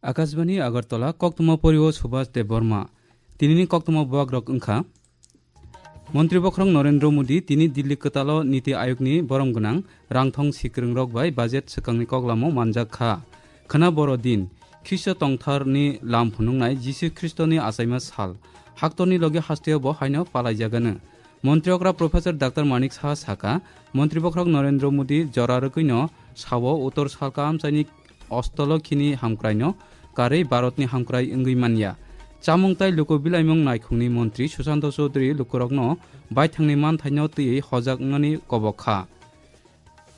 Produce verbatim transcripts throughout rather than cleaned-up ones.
Akashbani Agartala, koktwma porio Subhas Debbarma. Tinini koktwma bubagrok wngkha: Montri bokhorok Narendra Modi tini Dilli kwtalo Niti Ayogni borom gwnang rangthong sikwrwngrok bai budget swkangni koklamo manjak kha. Khwna boro din, Khristo tongtharni lam phunuknai Jisu Khristoni achaima sal, haktorni logi hasteo bo haino palaijagano. Montri okra Professor Doctor Manik Saha saka, Montri bokhorok Narendra Modi jora rwgwino sao Uttor Salka amchaini ostolo khini hamkraino karwi Bharatni hamkrai wngwi manya. Chamung tai luku bilaimung naikhungni montri Sushanta Chowdhury lukurokno baithangni manthaino twiwi hojak wngnani kobok kha.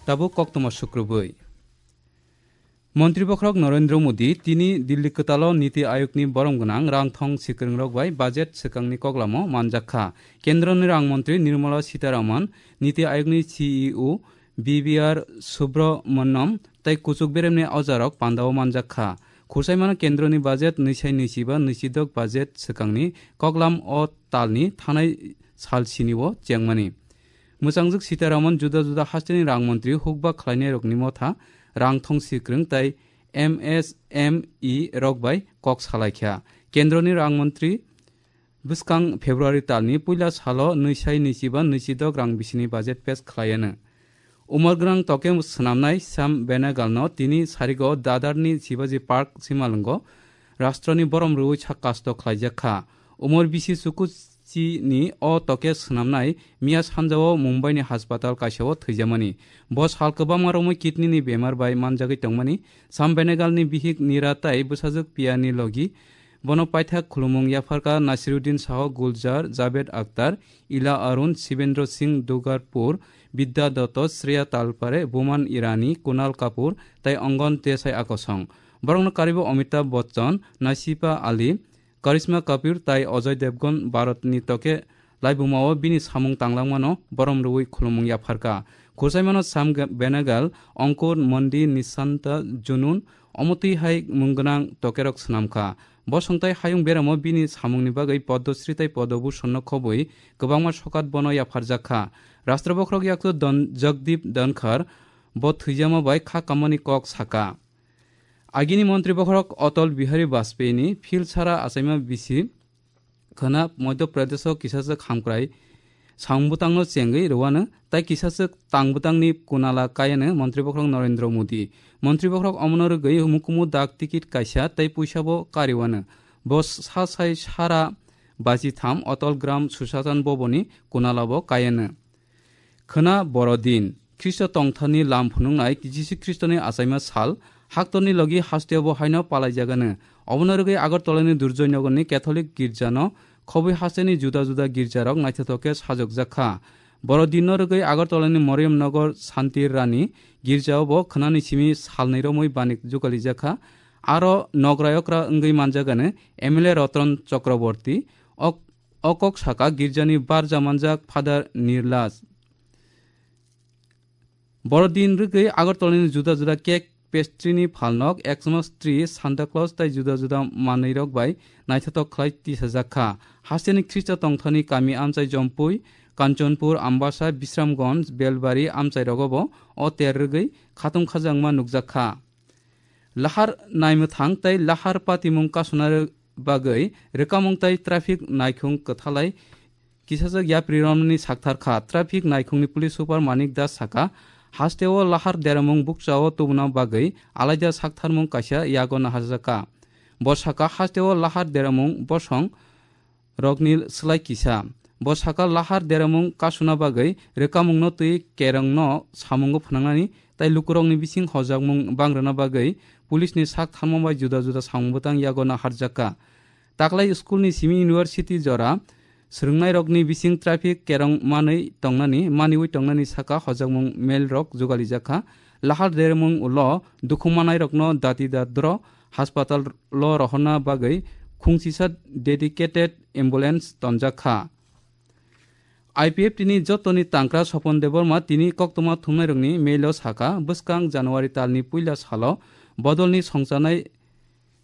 Tabuk koktwma sukrubwi. Montri bokhorok Narendra Modi tini Dilli kwtalo Niti Ayogni borom gwnang rangthong sikwrwngrok bai budget swkangni koklamo manjak kha. Kendroni rang montri Nirmala Sitharaman, Niti Ayogni C E O B V R Subramaniam tei kuchuk beremni ojarok pandao manjak kha. Khursaimano kendroni budget nwisai nwichiba nwichidok budget swkangni koklam o talni thanai sal sinio chengmani. Mwchangjwk Sitharaman juda juda hasteni rang montri hukba khlainairokni motha rang thong sikwrwng tei M S M E rok bai kok salaikha. Kendroni rang montri bwskang February talni puila salo nwisai nwichiba nwichidok rang bisini budget pass khlaiano. Umor gwnang toke swnamnai Sam Benegalno tini sarigo Dadarni Shivaji Park simalwngo rashtroni borom rwui sak kasto khlaijak kha. Umor bisi chukuchini o toke swnamnai miya sanjao Mumbaini haspatal kaisao thwijamani. Bo sal kwbangma romwi kidney ni bemar bai manjagwi tongmani. Sam Benegalni bihik Nira tai bwsajwk Piyani logi bono paithak khulumung yapharkha Nasiruddin Saho, Gulzar, Javed Akhtar, Ila Arun, Shivendra Singh Dugarpur, Bidya Dotto, Shreya Talpare, Boman Irani, Kunal Kapoor tei Angan Desai akosong. Borokno karibo Amitabh Bachchan, Nasifa Ali, Karisma Kapoor tai Ajay Devgan Bharatni toke laibumao bini samung tanglangmano borom rwui khulumung yapharkha. Khursaimano Sam Ge-, Benegal, Ankur, Mandi, Nishanta, Junun, omo twi hai mung gwnang tokerok swnamkha. Bosong tai hayung beramo bini samungni bagwi Padma Shri tai Padma Bhushanno khobwi kwbangma sokat bono yapharjak kha. Rashtra bokhorok yaktu Don-, Jagdeep Dhankhar bo thwijama bai kha kamani kok saka. Agini montri bokhorok Atal Bihari Vajpayee ni phil sara achaima bisi khwna Madhya Pradesh o kisachwk hamkrai samung bwtangno chengwi rwano tai kisachwk tang bwtangni kunala kayano montri bokhorok Narendra Modi. Montri bokhorok omono rwgwi mukumu dak tikit kaisa tei puisa bo kariwano. Bo sa sai sara baji tham Atal Gram Sushasan Bhavan ni kunala bo kayano. Khwna boro din, Khristo tongtharni lam phunuknai Jisu Khristoni achaima sal, haktorni logi hasteo bo haino palaijagano. Obono rwgwi Agartalani Durjoy Nagarni Catholic girjano khobwi hasteni juda juda girjarok naithothok khe sajokjak kha. Boro dinno rwgwi Agartalani Mariam Nagar Santir Rani girjao bo khwnani simi salnwi romwi banik jugalijak kha. Aro nokrayokra wngwi manjagano M L A Ratan Chakraborty, ok-, o kok saka girjani barja manjak Father Nirlas. Boro din rwgwi Agartalani juda juda cake, pastry ni phalnok, Xmas tree, Santa Claus tai juda juda manwirok bai naithothok khlai tisajak kha. Hasteni Khristo tongthani kami amchai Jompui, Kanchanpur, Ambasa, Bisramganj, Belbari amchairogo bo o ter rwgwi khatung khajakma nukjak kha. Lahar naimwthang tei lahar patimung kasuna bagwi rwkamung tei traffic naikhung kwthalai kisajak yapri romni sakthar kha. Traffic naikhungni police super Manik Das saka, hasteo lahar deramung bukchao tubuna bagwi alaida saktharmung kaisa yago naharjak kha. Bo saka, hasteo lahar deramung bosong rokni slai kisa. Bo saka, lahar deramung kasuna bagwi rwkamungno twi kerongno samungo phwnangnani tai lukurokni bising hojakmung bangrwna bagwi police ni sak tharma bai juda juda samung bwtang yago naharjak kha. Taklai school ni simi university jora swrwngnairokni bising traffic kerong manwi tongnani, maniwi tongnani saka hojakmung mail rok jugalijak kha. Lahar dermung ulo dukhu manairokno dati dadro hospital lo rohorna bagwi khungsisa dedicated ambulance tonjak kha. I P F T ni jotoni tangkra Sopon Debbarma tini koktwma thumnairokni mail o saka, bwskang January talni puila salo bodolni songchanai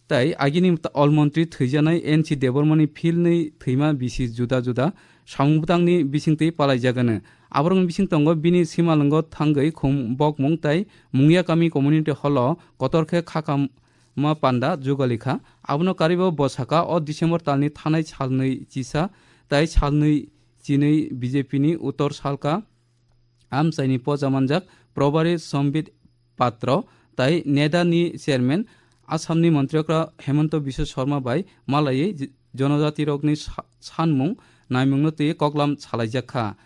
tai agini ta-, olmontri thwijanai N C Debbarmani philnwi thwima bisi juda juda samung bwtangni bisingtwi palaijagano. Aborokni bising tongo bini simalwngo thangwi khum bokmung tai Mungya Kami Community Hall o kotor khe khakam ma panda jugali kha. Abono karwibo bo saka, o December talni thanai salnwi chisa tai salnwi chinwi B J P ni Uttor Salka amchaini poja manjak Probari Sambit Patro tai NEDA ni chairman Assam ni Montri Okra Hemanta Biswa Sarma bai malaiwi j-, jonojatirokni sa-, sanmung naimungno twi koklam salaijak kha.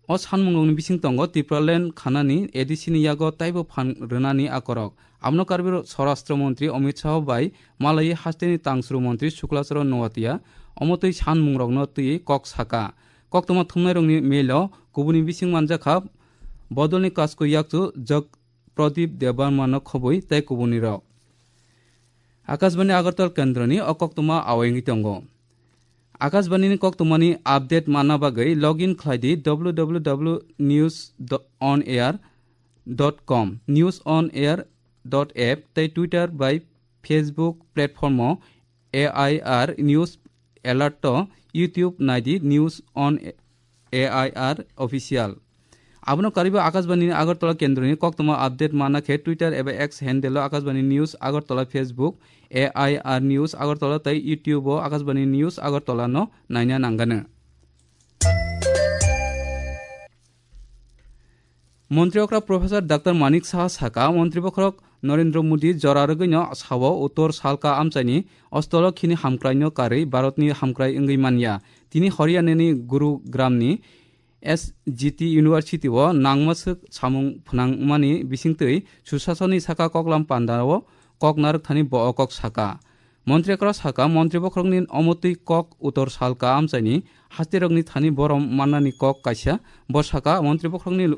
O sanmungrokni bising tongo Tipraland khanani A D C ni yago taibo phan rwnani akorok. Abono karwi Swarashtra Montri Amit Shah bai malaiwi hasteni tangsru montri Shukla Charan Noatia omo twi sanmungrokno twi kok saka. Koktwma thumnairokni mail o kubuni bising manjakha bodolni kasku yakchu Jog Pradip Debbarma no khobwi tei kubunirok. Akashbani Agartala kendroni o koktwma awai wngwi tongo. Akashbani ni koktwmani update manna bagwi login khlai di w w w news on air dot com, news on air dot app tei Twitter bai Facebook platform o A I R News Alert o YouTube nai di News on A I R Official. Abono karwi bo Akashbani ni Agartala kendroni koktwma update manna khe Twitter eba X handle o Akashbani News Agartala, Facebook A I R News Agartala tei YouTube o Akashbani News Agartala no naina nangnai. Montri okra Professor Doctor Manik Saha saka, Montri bokhorok Narendra Modi jora rwgwino sao Uttor Salka amchaini ostolo khini hamkraino karwi Bharatni hamkrai wngwi manya. Tini Haryanani Gurugram ni S G T University o nangma swk samung phnangmani bisingtwi Susasonni saka koklam panda o kok narwkthani bo o kok saka. Montri okra saka, Montri bokhorokni omotwi kok Uttor Salka amchaini hasterokni thani borom mannani kok kaisa. Bo saka, Montri bokhorokni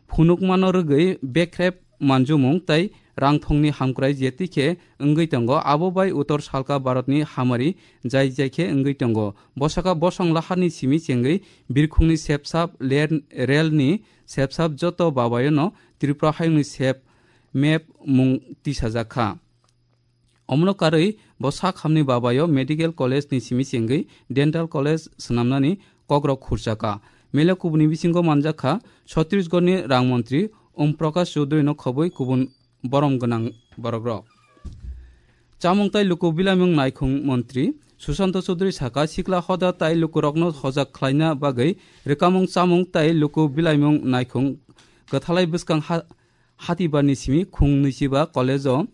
phunukmano rwgwi bekrep manjumung tei rangthongni hamkrai je tikhe wngwi tongo, abo bai Uttor Salka Bharatni hamari jai jai khe wngwi tongo. Bo saka, bosong laharni simi chengwi birkhungni sepsap, ler-, relni sepsap joto babayono Tripura hayungni sep map mung tisajak kha. Omono karwi bo sak hamni babayo medical college ni simi chengwi dental college swnamnani kokrok khurchaka. Mele kubuni bisingo manjakha Chhattisgarhni rang montri Om Prakash Chaudhary no khobwi kubun borom gwnang borokrok. Chamung tei luku bilaimung naikhung montri Sushanta Chaudhary saka, sikla hoda tai lukurokno hojak khlaina bagwi rwkamung chamung tei luku bilaimung naikhung kwthalai bwskang ha-, hatibarni simi khung nwichiba college o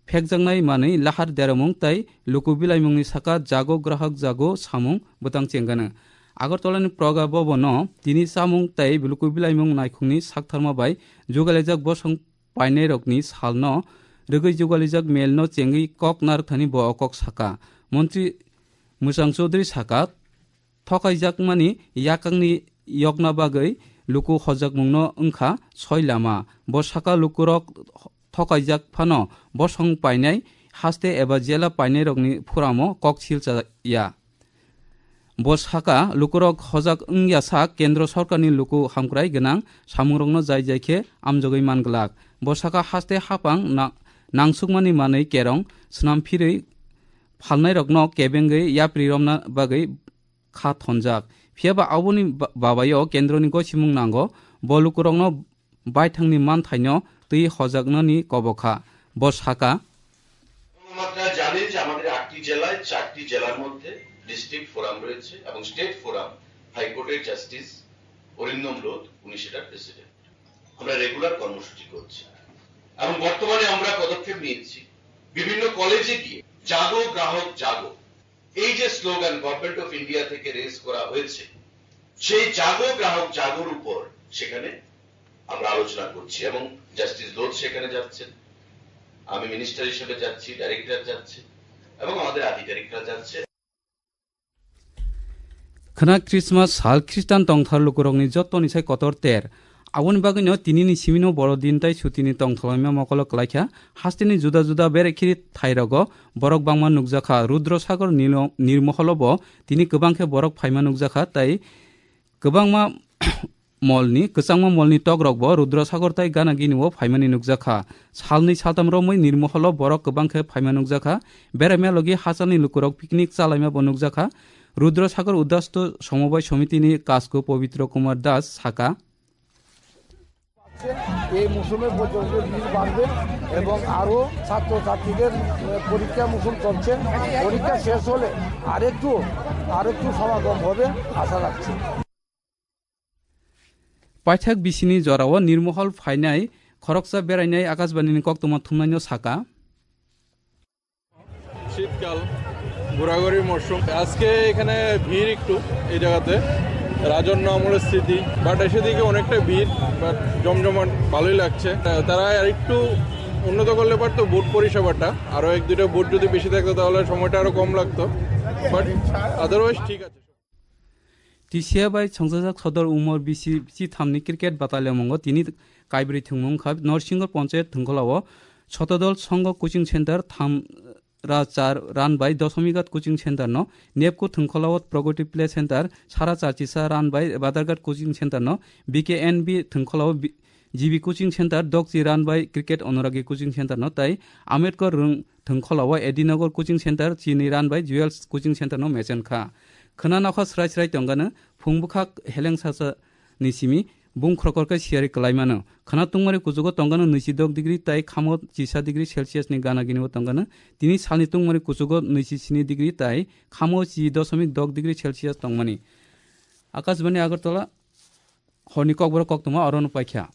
phekjaknai manwi lahar deromung tei luku bilaimungni saka jago grahak jago samung bwtang chengano. Agartala ni Praga Bhavan o tini chamung tei luku bilaimung naikhungni saktharma bai jugalaijak bosong painairokni salno rwgwi jugalaijak mel no chengwi kok narwkthani bo o kok saka. Montri Mwchang Chaudhary saka, thokaijakmani yakangni yokna bagwi luku hojakmungno wngkha soi lama. Bo saka lukurok thokaijak phano bosong painai haste eba jela painairokni phuramo kok silcha ya. Bo saka lukurok hojak wngya sak kendro sorkarni luku hamkrai gwnang samungrokno jai jai khe amjogwi man glak. Bo saka haste hapang na-, nangsukmani manwi kerong swnam phirwi phalnairokno kebengwi yapri romna bagwi kha thonjak. Phiya ba aboni ba-, babayo kendroni gosimung nango, bo lukurokno baithangni manthaino twi hojaknani kobo kha. Bo saka, আপনারা জানেন যে আমাদের আটটি জেলায় চারটি জেলার মধ্যে district forum রয়েছে এবং স্টেট ফোরাম হাইকোর্টের জাস্টিস অরিন্দম লোধ, উনি সেটার প্রেসিডেন্ট। আমরা রেগুলার কর্মসূচি করছি এবং বর্তমানে আমরা পদক্ষেপ নিয়েছি বিভিন্ন কলেজে গিয়ে জাগো গ্রাহক জাগো, এই যে স্লোগান গভর্নমেন্ট অফ ইন্ডিয়া থেকে রেজ করা হয়েছে, সেই জাগো গ্রাহক জাগোর উপর সেখানে আমরা আলোচনা করছি এবং জাস্টিস লোধ সেখানে যাচ্ছেন, আমি মিনিস্টার হিসেবে যাচ্ছি, ডাইরেক্টর যাচ্ছে এবং আমাদের আধিকারিকরা যাচ্ছে। Khwna Christmas sal Khristan tongthar lukurokni jottoni sai kotor ter. Aboni bagwino tinini simino boro din tai sutini tongthalaima mokolo kwlaikha. Hasteni juda juda berekhiri thairogo borok bangma nukjakha. Rudra Sagar nilo-, nirmoholo bo tini kwbang khe borok phaima nukjakha, tai kwbangma molni, kwchangma molni tokrokbo Rudra Sagar tai Gana Gini o phaimani nukjakha. Salnwi saltam romwi nirmoholo borok kwbang khe phaima nukjakha. Beraima logi hachalni lukurok picnic chalaima bo nukjakha. Rudra Sagar Udasto Somobai Somitini kasku Pabitra Kumar Das saka. এই মৌসুমে পর্যন্ত ভিড় বাড়বে এবং আরও ছাত্রছাত্রীদের, আহ, পরীক্ষা মৌসুম চলছে। পরীক্ষা শেষ হলে আরেকটু, আরেকটু সমাগম হবে আশা রাখছি। Paithak bisini jorao Nirmohol phainai khoroksa berainai Akashbanini koktwma thumnaino saka. শীতকাল, ঘোরাঘুরির মরশুম। আজকে এখানে ভিড় একটু এই জায়গাতে, রাজন্য আমলের স্মৃতি, বাট এসে দেখি অনেকটা ভিড়, বাট জমজমাট, ভালোই লাগছে। তা-, তারা আর একটু উন্নত করলে পারতো বুট পরিষেবাটা, আরও এক দুইটা বুট যদি বেশি থাকতো তাহলে সময়টা আরও কম লাগতো, বাট আদারওয়াইজ ঠিক আছে। T C A bai songchajak sodor umor bisi chithamni cricket bataliamungo tini kaibrwi thwngmung wngkha Norsingho Ponchayat thwngkholao Sotodol Songho Coaching Center, tham ra char run by Dosomighat Coaching Center no, nepco thwngkholao Pragati Play Center, sara char chisa run by Badarghat Coaching Center no, B K N B thwngkholao bi-, G B Coaching Center, Dokchi run by Cricket Onuragi Coaching Center no, tai Ambedkar Rung thwngkholao Edinagar Coaching Center, chini run by Jewels Coaching Center no mechen kha. Khwna nokha srai srai tongano, phung bwkhak heleng sasa ni simi bung khrokhor khe siyari kwlai mano. Khwna tungmani kuchugo tongano nwichi dok degree tai khamo chisa degree Celsius ni gana gini o tongano. Tini salni tungmani kuchugo nwichi sini degree tai khamo chi dosomik dok degree Celsius tongmani. Akashbani Agartala, horni kokborok koktwma orono paikha.